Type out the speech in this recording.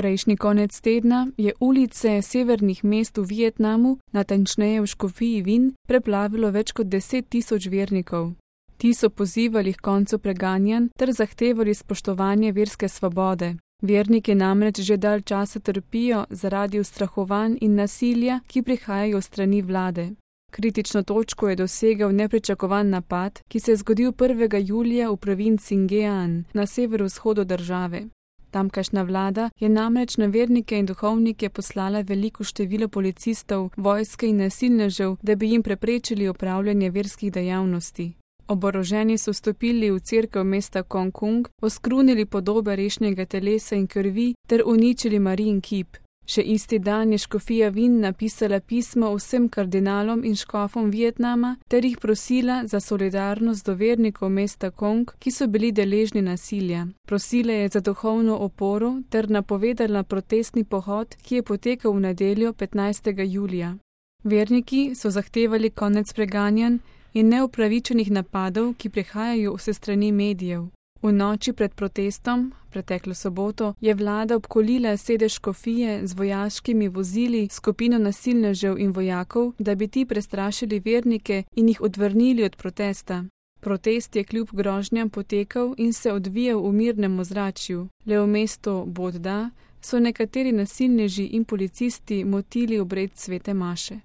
Prejšnji konec tedna je ulice severnih mest v Vietnamu, natančneje v Škofiji Vin, preplavilo več kot 10 000 vernikov. Ti so pozivali k koncu preganjanj ter zahtevali spoštovanje verske svobode. Verniki namreč že dalj časa trpijo zaradi ustrahovanj in nasilja, ki prihajajo strani vlade. Kritično točko je dosegel nepričakovan napad, ki se je zgodil 1. julija v provinci Nghean na severovzhodu države. Tamkajšnja vlada je namreč na vernike in duhovnike poslala veliko število policistov, vojske in nasilnežev, da bi jim preprečili opravljanje verskih dejavnosti. Oboroženi so vstopili v cerkev mesta Kongkung, oskrunili podobe rešnjega telesa in krvi ter uničili Marijin kip. Še isti dan je Škofija Vin napisala pismo vsem kardinalom in škofom Vietnama ter jih prosila za solidarnost do vernikov mesta Kong, ki so bili deležni nasilja. Prosila je za duhovno oporo ter napovedala protestni pohod, ki je potekal v nedeljo 15. julija. Verniki so zahtevali konec preganjanj in neupravičenih napadov, ki prihajajo vse strani medijev. V noči pred protestom, preteklo soboto, je vlada obkolila sedež škofije z vojaškimi vozili, skupino nasilnežev in vojakov, da bi ti prestrašili vernike in jih odvrnili od protesta. Protest je kljub grožnjam potekal in se odvijal v mirnem ozračju. Le v mestu Bodda so nekateri nasilneži in policisti motili obred svete maše.